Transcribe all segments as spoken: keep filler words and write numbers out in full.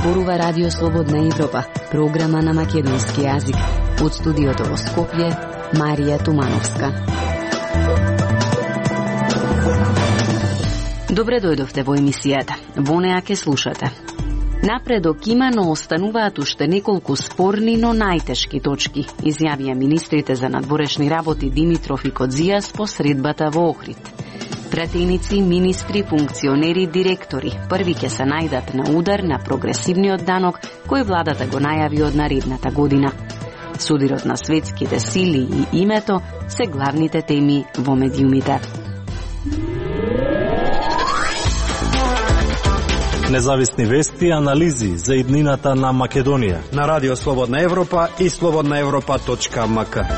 зборува Радио Слободна Европа, програма на македонски јазик. Од студиото во Скопје, Марија Тумановска. Добре дојдовте во емисијата. Во неа ке слушате. Напредок има, но остануваат уште неколку спорни, но најтешки точки, изјавија министрите за надворешни работи Димитров и Кодзијас по средбата во Охрид. Пратеници, министри, функционери, директори први ќе се најдат на удар на прогресивниот данок кој владата го најави од наредната година. Судирот на светските сили и името се главните теми во медиумите. Независни вести и анализи за иднината на Македонија на Радио Слободна Европа и слободна европа точка ем ка.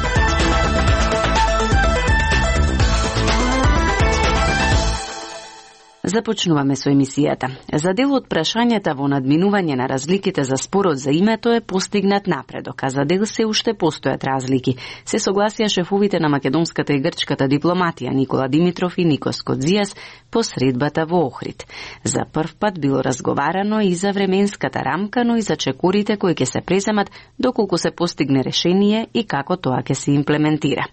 Започнуваме со емисијата. За дел од прашањата во надминување на разликите за спорот за името е постигнат напредок, а за дел се уште постојат разлики. Се согласија шефовите на македонската и грчката дипломатија Никола Димитров и Никос Кодзијас по средбата во Охрид. За прв пат било разговарано и за временската рамка, но и за чекорите кои ќе се преземат доколку се постигне решение и како тоа ќе се имплементира.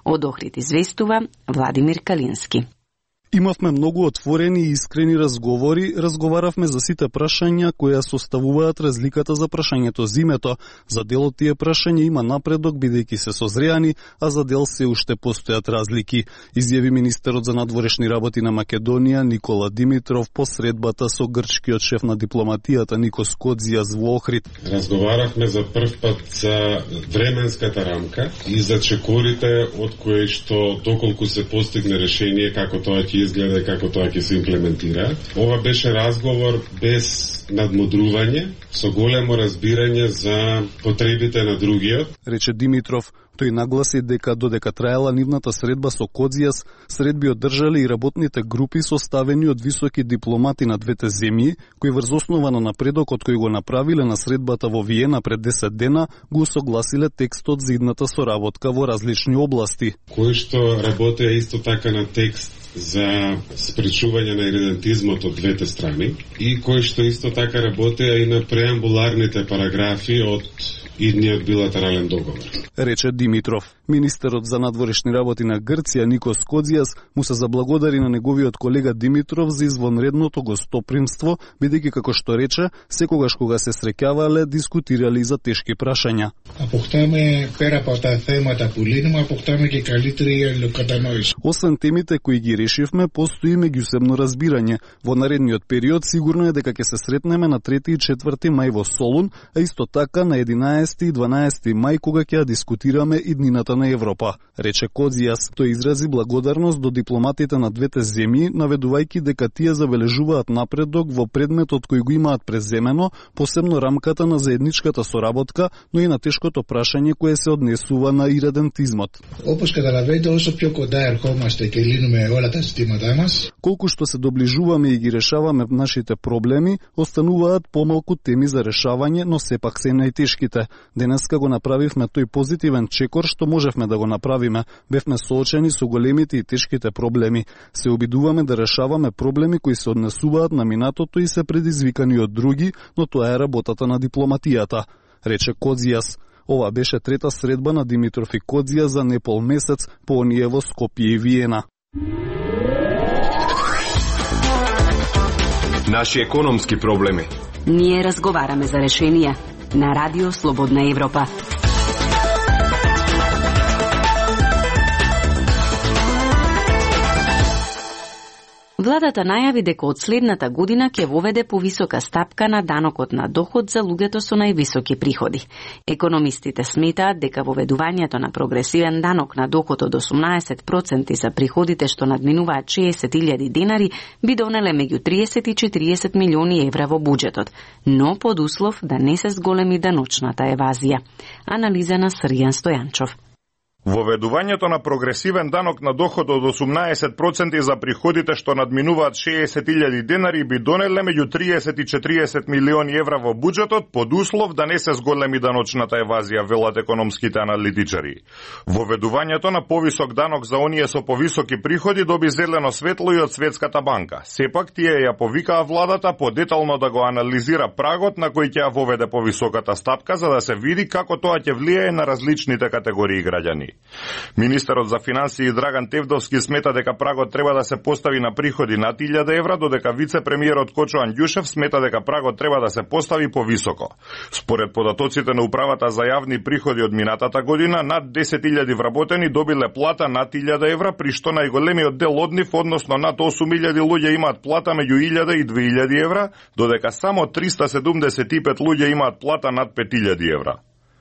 Од Охрид известува Владимир Калински. Имавме многу отворени и искрени разговори, разговаравме за сите прашања кои составуваат разликата за прашањето за името. За дел од тие прашања има напредок бидејќи се созреани, а за дел се уште постојат разлики, изјави министерот за надворешни работи на Македонија Никола Димитров по средбата со грчкиот шеф на дипломатијата Никос Кодзијас во Охрид. Разговаравме за прв пат за временската рамка и за чекорите од кои што доколку се постигне решение како тоа ќе изгледа и како тоа ќе се имплементира. Ова беше разговор без надмудрување, со големо разбирање за потребите на другиот, рече Димитров. Тој нагласи дека додека траела нивната средба со Кодзијас, средби одржале и работните групи составени од високи дипломати на двете земји, кои врз основа на напредокот кој го направиле на средбата во Виена пред десет дена, го согласиле текстот за идната соработка во различни области. Кои што работеа исто така на текст за спречување на иридентизмот од двете страни и кои што исто така работеа и на преамбуларните параграфи од идниот билатерален договор, рече Димитров. Министерот за надворешни работи на Грција Никос Кодзијас му се заблагодари на неговиот колега Димитров за извонредното гостопримство, бидејќи како што рече, секогаш кога се среќавале, дискутирали за тешки прашања. Αποκτάμε пера από τα θέματα που λύνουμε, αποκτάμε και καλύτερη αλληλοκατανόηση. Освен темите кои ги решивме, постои меѓусебно разбирање. Во наредниот период сигурно е дека ќе се сретнеме на трети и четврти мај во Солун, а исто така на единаесети и дванаесети мај кога ќе дискутираме иднината на Европа, рече Кодзијас. Тој изрази благодарност до дипломатите на двете земји, наведувајќи дека тие забележуваат напредок во предметот кој го имаат преземено, посебно рамката на заедничката соработка, но и на тешкото прашање кое се однесува на иридентизмот. Όπως καταλαβαίνετε, όσο πιο κοντά ερχόμαστε και λύνουμε όλα τα ζητήματά μας, колку што се доближуваме и ги решаваме нашите проблеми, остануваат помалку теми за решавање, но сепак се најтешките. Денеска го направивме тој позитивен чекор што можевме да го направиме. Бевме соочени со големите и тешките проблеми. Се обидуваме да решаваме проблеми кои се однесуваат на минатото и се предизвикани од други, но тоа е работата на дипломатијата, рече Кодзијас. Ова беше трета средба на Димитров и Кодзијас за непол месец по оние во Скопје и Виена. Наши економски проблеми. Ние разговараме за решенија на Радио Слободна Европа. Владата најави дека од следната година ќе воведе повисока стапка на данокот на доход за луѓето со највисоки приходи. Економистите сметаат дека воведувањето на прогресивен данок на доход од осумнаесет проценти за приходите што надминуваат шеесет илјади денари би донеле меѓу триесет и четириесет милиони евра во буџетот, но под услов да не се зголеми даночната евазија. Анализа на Срјан Стојанчов. Воведувањето на прогресивен данок на доход од осумнаесет проценти за приходите што надминуваат шеесет илјади денари би донеле меѓу триесет и четириесет милиони евра во буџетот под услов да не се зголеми даночната евазија, велат економските аналитичари. Воведувањето на повисок данок за оние со повисоки приходи доби зелено светло и од Светската банка. Сепак тие ја повикаа владата подетално да го анализира прагот на кој ќе ја воведе повисоката стапка за да се види како тоа ќе влијае на различните категории граѓани. Министерот за финансии Драган Тевдовски смета дека прагот треба да се постави на приходи над илјада евра, додека вице-премиерот Кочо Анѓушев смета дека прагот треба да се постави повисоко. Според податоците на Управата за јавни приходи од минатата година, над десет илјади вработени добиле плата над илјада евра, при што најголемиот дел од нив, односно над осум илјади луѓе имаат плата меѓу илјада и две илјади евра, додека само триста седумдесет и пет луѓе имаат плата над пет илјади евра.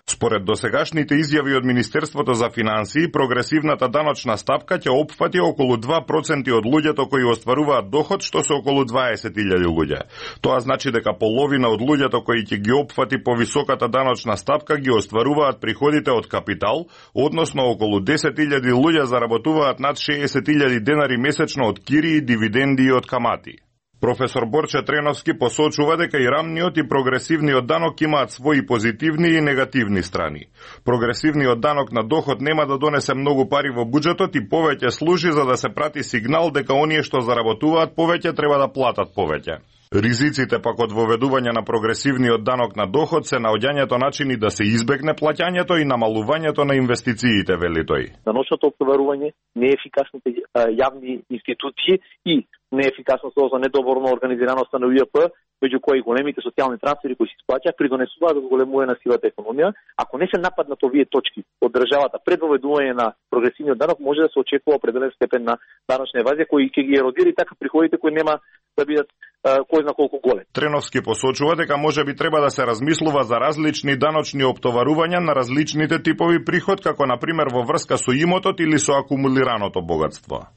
Според досегашните изјави од Министерството за финансии, прогресивната даночна стапка ќе опфати околу два проценти од луѓето кои остваруваат доход, што се околу дваесет илјади луѓе. Тоа значи дека половина од луѓето кои ќе ги опфати повисоката даночна стапка ги остваруваат приходите од капитал, односно околу десет илјади луѓе заработуваат над шеесет илјади денари месечно од кири, дивиденди и од камати. Професор Борче Треновски посочува дека и рамниот и прогресивниот данок имаат своји позитивни и негативни страни. Прогресивниот данок на доход нема да донесе многу пари во буџетот и повеќе служи за да се прати сигнал дека оние што заработуваат повеќе треба да платат повеќе. Ризиците пак од воведување на прогресивниот данок на доход се наоѓањето начини да се избегне плаќањето и намалувањето на инвестициите, вели тој. Даночното оптоварување, неефикасните јавни институции и неефикасноста за недоборно организираноста на УЈП, меѓу кои големите социјални трансфери кои се исплаќаат, придонесуваат до зголемување на сивата економија. Ако не се нападнат овие точки од државата пред воведување на прогресивниот данок, може да се очекува определен степен на даночна евазија кои ќе ги еродира и така приходите кои нема да бидат кој зна колку голем. Треновски посочува дека може би треба да се размислува за различни даночни оптоварувања на различните типови приход, како на пример во врска со имотот или со акумулираното богатство.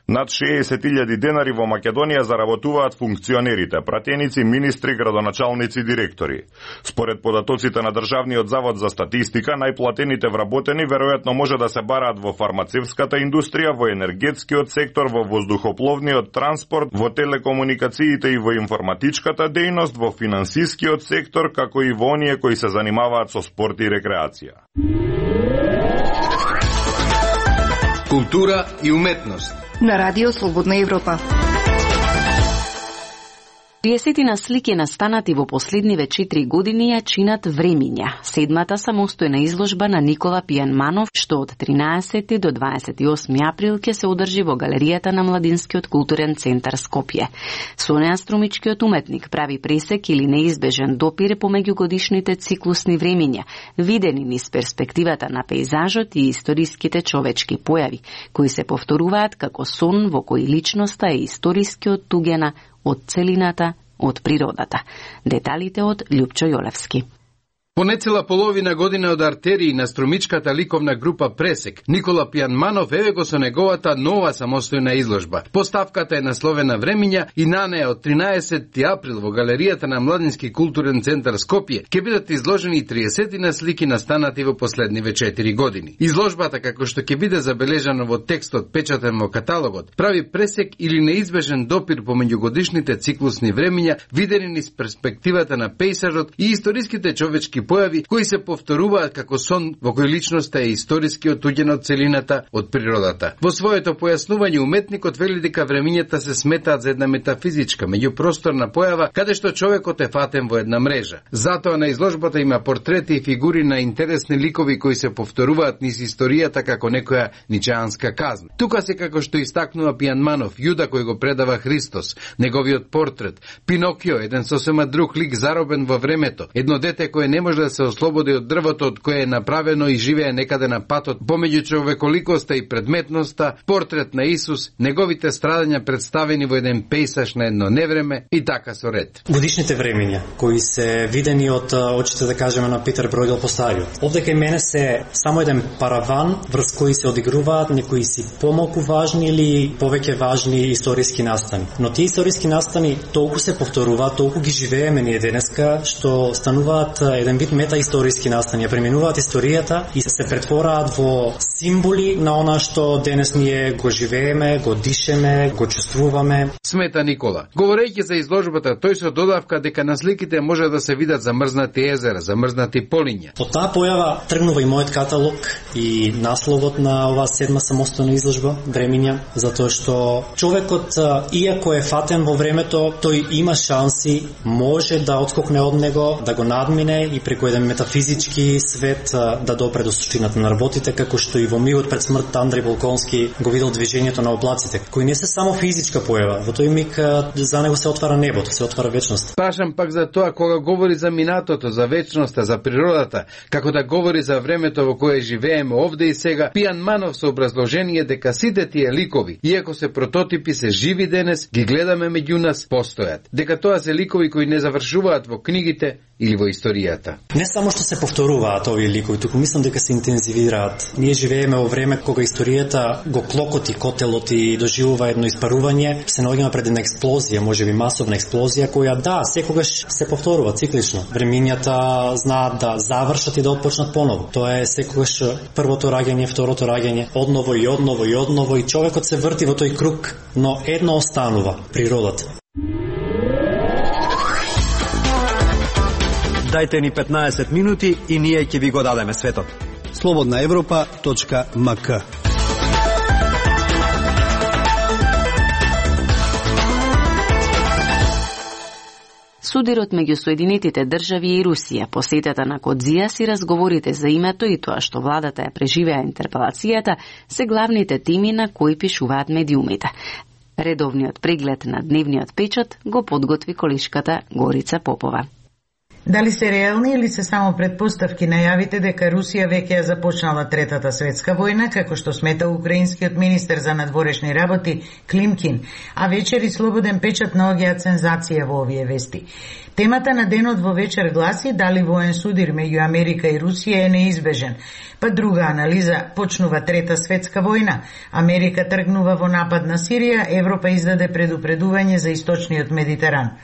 Над шеесет илјади денари во Македонија заработуваат функционерите, пратеници, министри, градоначалници, директори. Според податоците на Државниот завод за статистика, најплатените вработени веројатно може да се бараат во фармацевската индустрија, во енергетскиот сектор, во воздухопловниот транспорт, во телекомуникациите и во информатичката дејност, во финансискиот сектор, како и во оние кои се занимаваат со спорт и рекреација. Култура и уметност на Радио Слободна Европа. триесетина слики настанати во последниве четири години ја чинат Времиња, седмата самостојна изложба на Никола Пијанманов, што од тринаесети до дваесет и осми април ќе се одржи во галеријата на Младинскиот културен центар Скопје. Со неа струмичкиот уметник прави пресек или неизбежен допир помеѓу годишните циклусни времиња, видени низ перспективата на пејзажот и историските човечки појави, кои се повторуваат како сон во кој личноста е историски оттугена од целината, од природата. Деталите од Љупчо Јолевски. По нецела половина година од артерии на струмичката ликовна група Пресек, Никола Пијанманов еве го со неговата нова самостојна изложба. Поставката е насловена Времиња и на неа од тринаесети април во галеријата на Младински културен центар Скопје ќе бидат изложени триесетина слики настанати во последниве четири години. Изложбата, како што ќе биде забележано во текстот печатен во каталогот, прави пресек или неизбежен допир помеѓу годишните циклусни времиња, видени низ перспективата на пејзажот и историските човечки појави кои се повторуваат како сон во кој личноста е историски оттуѓена од целината, од природата. Во своето појаснување уметникот вели дека времињата се сметаат за една метафизичка, меѓупросторна појава каде што човекот е фатен во една мрежа. Затоа на изложбата има портрети и фигури на интересни ликови кои се повторуваат низ историјата како некоја ничеанска казна. Тука се како што истакнува Пијанманов, Јуда кој го предава Христос, неговиот портрет, Пинокио, еден сосема друг лик заробен во времето, едно дете кое не може да се ослободи од дрвото од кое е направено и живее некаде на патот помеѓу човеколикоста и предметноста, портрет на Исус, неговите страдања представени во еден пејсаж на едно невреме и така со ред. Годишните времиња кои се видени од очите, да кажеме, на Питер Бројдел Постариот. Овде кај мене се само еден параван врз кои се одигруваат некои си помалку важни или повеќе важни историски настани. Но тие историски настани толку се повторуваат, толку ги живееме ние денеска, што стануваат еден вид тип метаисториски настанија, преминуваат историјата и се претвораат во символи на она што денес ние го живееме, го дишеме, го чувствуваме. Смета Никола. Говорејќи за изложбата, тој се додавка дека на сликите може да се видат замрзнати езера, замрзнати полиња. Од таа појава тргнува и мојот каталог и насловот на оваа седма самостојна изложба Времиња, затоа што човекот, иако е фатен во времето, тој има шанси, може да отскокне од него, да го надмине и преку еден метафизички свет да допре до суштината на работите, како што и во мигот пред смртта Андреј Волконски го видел движењето на облаците, кои не се само физичка појава, во тој миг за него се отвара небото, се отвара вечност. Пашам пак за тоа кога говори за минатото, за вечноста, за природата, како да говори за времето во кое живееме овде и сега, Пијан Манов со образложение дека сите тие ликови, иако се прототипи, се живи денес, ги гледаме меѓу нас, постојат. Дека тоа се ликови кои не завршуваат во книгите или во историјата. Не само што се повторуваат овие ликови, туку мислам дека се интензивираат. Ние живееме во време кога историјата го клокоти котелот и доживува едно испарување, се наоѓаме пред една експлозија, можеби масовна експлозија, која да, секогаш се повторува циклично. Времињата знаат да завршат и да отпочнат поново. Тоа е секогаш првото раѓање, второто раѓање, одново и одново и одново и човекот се врти во тој круг, но едно останува, природата. Дајте ни петнаесет минути и ние ќе ви го дадеме светот. слободна европа точка ем ка. Судирот меѓу Соединетите држави и Русија, посетата на Кодзијас и разговорите за името и тоа што владата ја преживеа интерпелацијата се главните теми на кои пишуваат медиумите. Редовниот преглед на дневниот печат го подготви колишката Горица Попова. Дали се реални или се само предпоставки најавите дека Русија веќе ја започнала Третата светска војна, како што смета украинскиот министер за надворешни работи Климкин, а вечер и Слободен печат наоѓаат сензација во овие вести. Темата на денот во вечер гласи дали воен судир меѓу Америка и Русија е неизбежен. Па друга анализа, почнува Трета светска војна, Америка тргнува во напад на Сирија, Европа издаде предупредување за источниот Медитеран.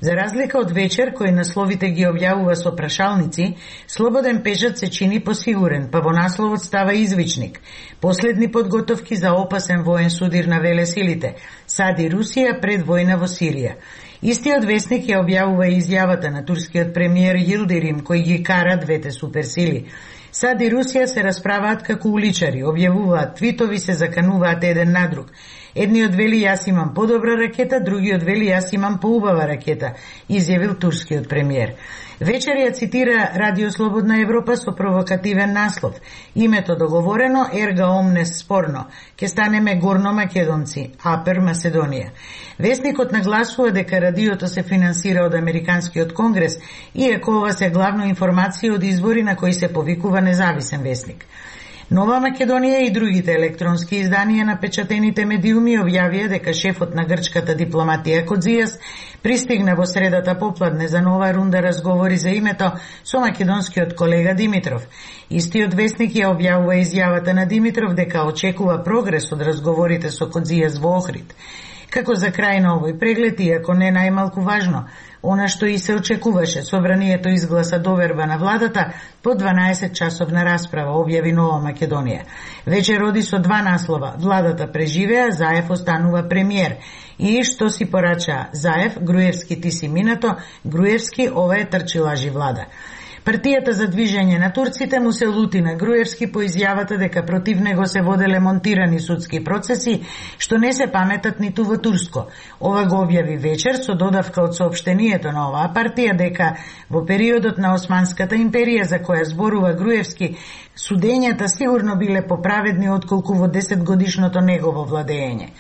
За разлика од вечер, кој насловите ги објавува со прашалници, Слободен печат се чини посигурен, па во насловот става извичник. Последни подготовки за опасен воен судир на велесилите. Сади Русија пред војна во Сирија. Истиот вестник ја објавува изјавата на турскиот премиер Йилдирим, кој ги кара двете суперсили. Сад и Русија се расправаат како уличари, објавуваат твитови, се закануваат еден на друг. Едниот вели јас имам подобра ракета, другиот вели јас имам поубава ракета, изјавил турскиот премиер. Вечер ја цитира Радио Слободна Европа со провокативен наслов. Името договорено, ерга омнес спорно. Ке станеме горно македонци, апер Маседонија. Вестникот нагласува дека радиото се финансира од Американскиот конгрес, иако ова се главно информации од извори на кои се повикува независен вестник. Нова Македонија и другите електронски изданија на печатените медиуми објавија дека шефот на грчката дипломатија Кодзијас пристигна во средата попладне за нова рунда разговори за името со македонскиот колега Димитров. Истиот вестник ја објавува изјавата на Димитров дека очекува прогрес од разговорите со Кодзијас во Охрид. Како за крај на овој преглед, иако не најмалку важно, она што и се очекуваше, собранието изгласа доверба на владата по дванаесет часовна расправа, објави Нова Македонија. Вечер оди со два наслова. Владата преживеа, Заев останува премиер. И што си порача Заев, Груевски ти си минато, Груевски ова е трчилажи влада. Партијата за движење на турците му се лути на Груевски по изјавата дека против него се воделе монтирани судски процеси, што не се паметат ниту во Турско. Ова го објави вечер со додавка од соопштението на оваа партија дека во периодот на Османската империја за која зборува Груевски, судењата сигурно биле поправедни отколку во десетгодишното негово владење.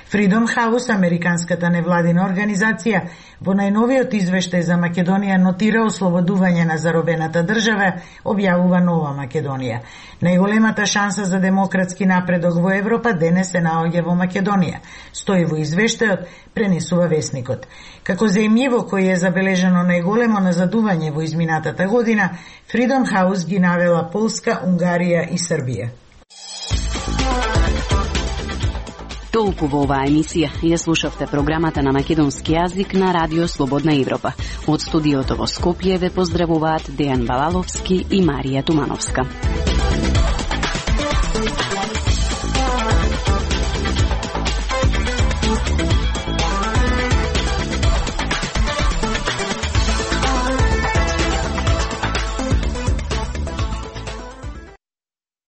Freedom House, американската невладина организација, во најновиот извештај за Македонија нотира ослободување на заробената држава, објавува Нова Македонија. Најголемата шанса за демократски напредок во Европа денес се наоѓа во Македонија, стои во извештајот, пренесува вестникот. Како земјиво кој е забележано најголемо назадување во изминатата година, Freedom House ги навела Полска, Унгарија и Србија. Толку во оваа емисија. Ја слушавте програмата на македонски јазик на Радио Слободна Европа. Од студиото во Скопје ве поздравуваат Дејан Балаловски и Марија Тумановска.